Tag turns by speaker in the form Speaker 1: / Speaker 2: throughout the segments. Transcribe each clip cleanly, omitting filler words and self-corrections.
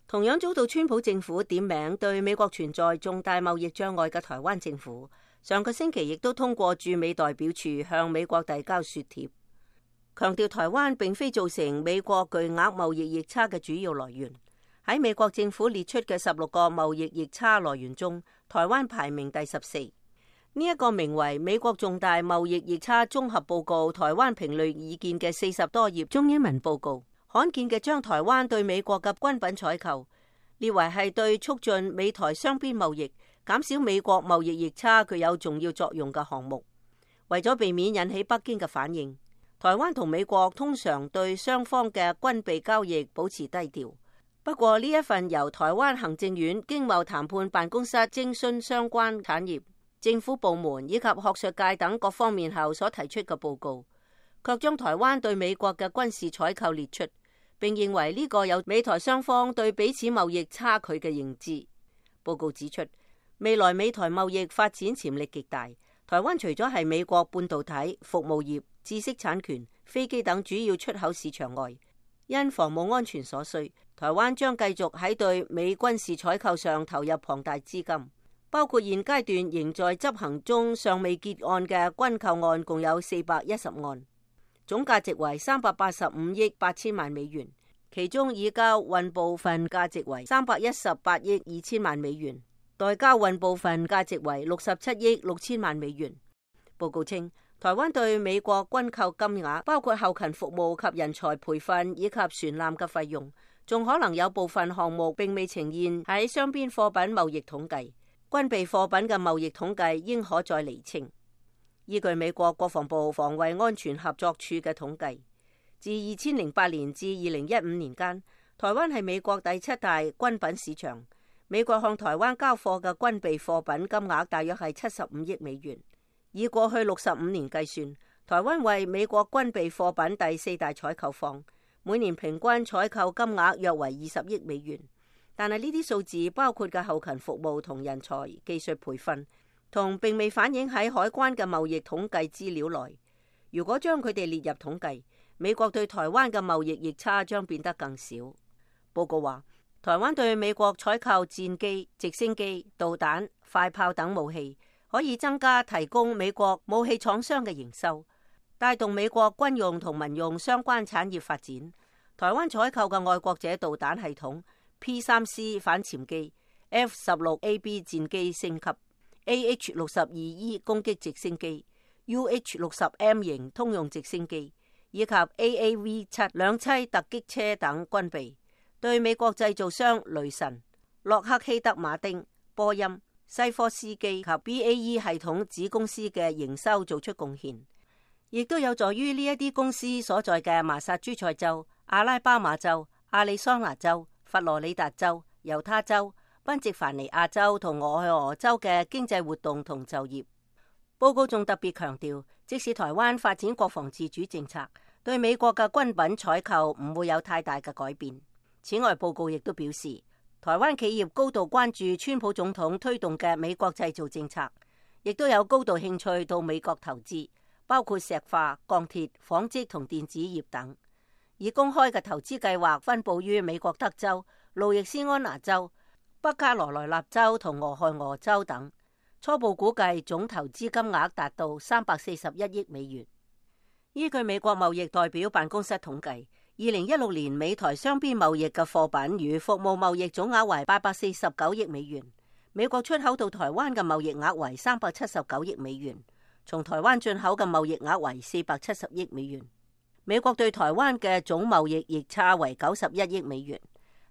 Speaker 1: 同樣遭到川普政府點名對美國存在重大貿易障礙嘅台灣政府，上個星期亦都通過駐美代表處向美國遞交說帖，強調台灣並非造成美國巨額貿易逆差嘅主要來源。喺美國政府列出嘅16個貿易逆差來源中，台灣排名第14。呢一個名為《美國重大貿易逆差綜合報告：台灣評論意見》嘅40多頁中英文報告，罕見嘅將台灣對美國嘅軍品採購列為係對促進美台雙邊貿易、減少美國貿易逆差具有重要作用嘅項目。為咗避免引起北京嘅反應，台灣同美國通常對雙方嘅軍備交易保持低調。不過呢一份由台灣行政院經貿談判辦公室徵詢相關產業、政府部門以及學術界等各方面後所提出嘅報告，卻將台灣對美國嘅軍事採購列出，並認為呢個有美台雙方對彼此貿易差距嘅認知。報告指出，未來美台貿易發展潛力極大。台灣除咗係美國半導體、服務業、知識產權、飛機等主要出口市場外，因防務安全所需，台灣將繼續喺對美軍事採購上投入龐大資金，包括現階段仍在執行中尚未結案嘅軍購案，共有410案，總價值為385億8千萬美元，其中已交運部分價值為318億2千萬美元，待交運部分價值為67億6千萬美元。報告稱，台灣對美國軍購金額，包括後勤服務及人才培訓以及船艦嘅費用，仲可能有部分項目並未呈現喺雙邊貨品貿易統計。軍備貨品嘅貿易統計應可再釐清。依據美國國防部防衛安全合作處嘅統計，自2008年至2015年間，台灣係美國第7大軍品市場。美國向台灣交貨嘅軍備貨品金額大約係75億美元。以過去65年計算，台灣為美國軍備貨品第4大採購方，每年平均採購金額約為20億美元。但係呢啲數字包括嘅後勤服務同人才技術培訓，同並未反映喺海關嘅貿易統計資料內。如果將佢哋列入統計，美國對台灣嘅貿易逆差將變得更少。報告話，台灣對美國採購戰機、直升機、導彈、快炮等武器，可以增加提供美國武器廠商嘅營收，帶動美國軍用同民用相關產業發展。台灣採購嘅愛國者導彈系統、P3C 反潛機、F-16AB 戰機升級、AH-62E 攻擊直升機、UH-60M 型通用直升機以及 AAV-7 兩棲突擊車等軍備，對美國製造商雷神、洛克希德馬丁、波音、西科斯基及 BAE 系統子公司嘅營收做出貢獻，亦都有助於呢一啲公司所在嘅麻薩諸塞州、阿拉巴馬州、亞利桑那州、佛羅里達州、猶他州、賓夕凡尼亞州同俄亥俄州嘅經濟活動同就業。報告仲特別強調，即使台灣發展國防自主政策，對美國嘅軍品採購唔會有太大嘅改變。此外，報告亦都表示，台灣企業高度關注川普總統推動嘅美國製造政策，亦都有高度興趣到美國投資，包括石化、鋼鐵、紡織同電子業等。以公開嘅投資計劃分佈於美國德州、路易斯安那州、北卡羅來納州同俄亥俄州等。初步估計總投資金額達到341億美元。依據美國貿易代表辦公室統計，2016年美台雙邊貿易嘅貨品與服務貿易總額為849億美元，美國出口到台灣嘅貿易額為379億美元，從台灣進口嘅貿易額為470億美元。美國對台灣嘅總貿易逆差為91億美元。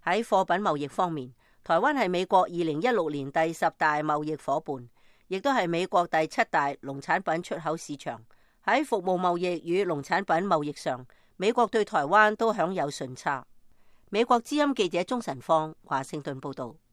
Speaker 1: 喺貨品貿易方面，台灣係美國2016年第10大貿易夥伴，亦都係美國第7大農產品出口市場。喺服務貿易與農產品貿易上，美國對台灣都享有順差。美國之音記者鍾晨芳華盛頓報道。